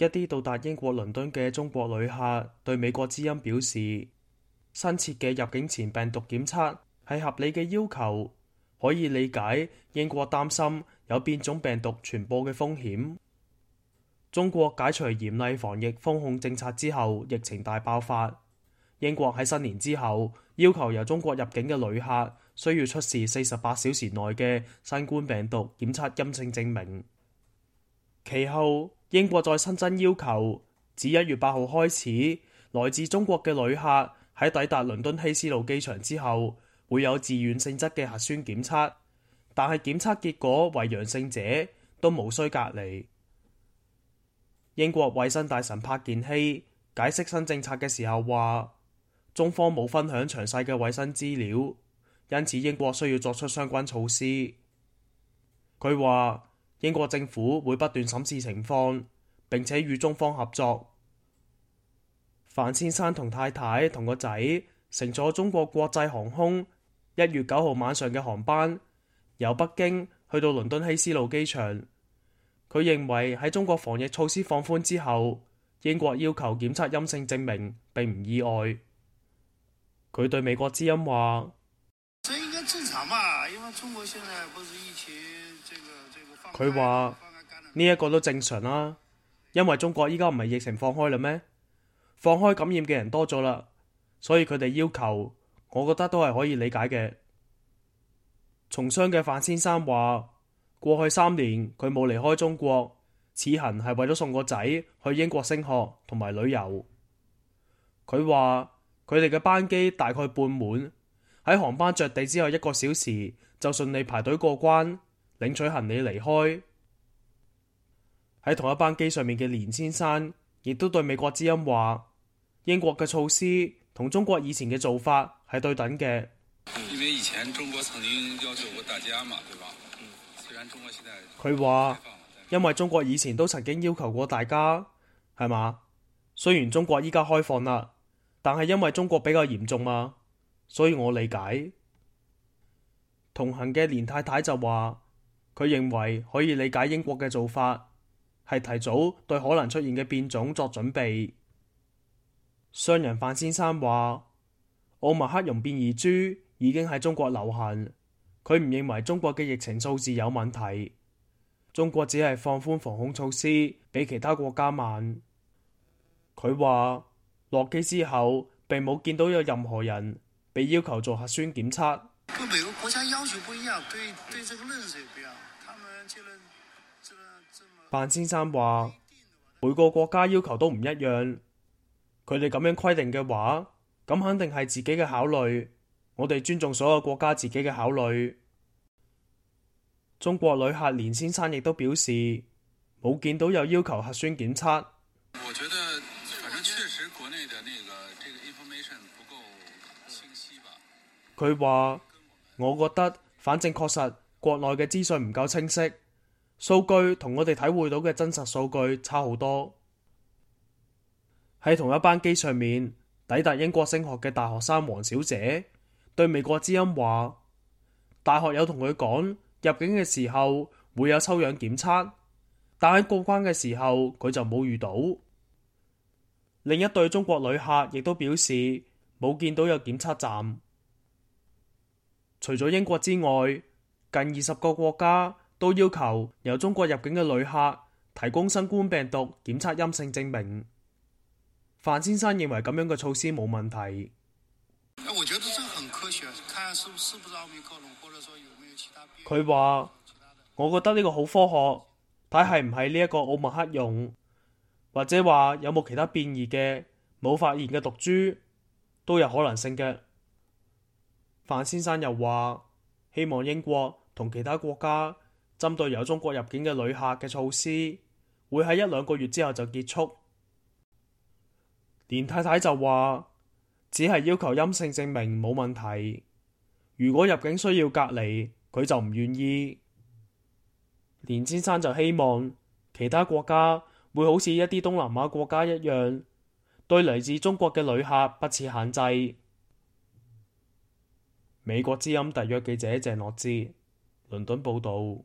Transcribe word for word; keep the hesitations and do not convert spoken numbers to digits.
一啲到達英國倫敦嘅中國旅客對美國之音表示，新設嘅入境前病毒檢測係合理嘅要求，可以理解英國擔心有變種病毒傳播嘅風險。中國解除嚴厲防疫封控政策之後，疫情大爆發。英國喺新年之後要求由中國入境嘅旅客需要出示四十八小時內嘅新冠病毒檢測陰性證明。其後，英國再新增要求，自一月八號開始，來自中國嘅旅客喺抵達倫敦希斯路機場之後，會有自願性質嘅核酸檢測，但係檢測結果為陽性者都無需隔離。英國衛生大臣柏健希解釋新政策嘅時候話，中方冇分享詳細嘅衛生資料，因此英國需要作出相關措施。佢話，英國政府會不斷審視情況，並且與中方合作。范先生同太太同個仔乘坐中國國際航空一月九號晚上嘅航班，由北京去到倫敦希斯路機場。佢認為喺中國防疫措施放寬之後，英國要求檢測陰性證明並唔意外。佢對美國之音話：這應該正常吧，因為中國現在不是疫情這個這個放開。佢話呢一個都正常啦，因為中國依家唔係疫情放開啦咩？放開感染嘅人多咗啦，所以佢哋要求，我覺得都係可以理解嘅。從商嘅范先生話：過去三年佢冇離開中國，此行係為咗送個仔去英國升學同埋旅遊。佢話佢哋嘅班機大概半滿，喺航班着地之後一個小時就順利排隊過關，領取行李離開。喺同一班機上面嘅連先生亦都對美國之音話：英國嘅措施同中國以前嘅做法係對等嘅。因為以前中國曾經要求過大家嘛，對吧？嗯，雖然中國現在佢話，因為中國以前都曾經要求過大家，係嘛？雖然中國依家開放啦，但係因為中國比較嚴重嘛，所以我理解。同行嘅連太太就話，佢認為可以理解英國嘅做法，係提早對可能出現嘅變種作準備。商人范先生話，奧密克戎變異株已經喺中國流行，佢唔認為中國嘅疫情數字有問題，中國只係放寬防控措施比其他國家慢。佢話落機之後並冇見到有任何人被要求做核酸檢測。跟每個國家要求不一樣，對對這個認識也不一樣。他們這個這個這麼范先生話每個國家要求都唔一樣，佢哋咁樣規定嘅話，咁肯定係自己嘅考慮，我哋尊重所有國家自己嘅考慮。中國旅客連先生亦都表示冇見到有要求核酸檢測。我覺得反正確實國內的那個這個 information 不夠清晰吧。佢話我覺得反正確實國內嘅資訊唔夠清晰，數據同我哋體會到嘅真實數據差好多。喺同一班機上面抵達英國升學嘅大學生黃小姐對美國之音話，大學有同佢講入境嘅時候會有抽樣檢測，但喺過關嘅時候佢就冇遇到。另一對中國旅客亦都表示冇見到有檢測站。除咗英國之外，近二十個國家都要求由中國入境嘅旅客提供新冠病毒檢測陰性證明。范先生認為咁樣嘅措施冇問題。我覺得這很科學，看是是不是奧密克戎，或者說有沒有其他變異。佢話我覺得呢個好科學，睇係唔係呢一個奧密克戎，或者話有冇其他變異嘅冇發現嘅毒株都有可能性嘅。范先生又話希望英國同其他國家針對由中國入境嘅旅客嘅措施會喺一兩個月之後就結束。連太太就話只係要求陰性證明冇問題，如果入境需要隔離佢就唔願意。連先生就希望其他國家會好似一啲東南亞國家一樣，對嚟自中國嘅旅客不設限制。美國之音特約記者鄭樂之倫敦報道。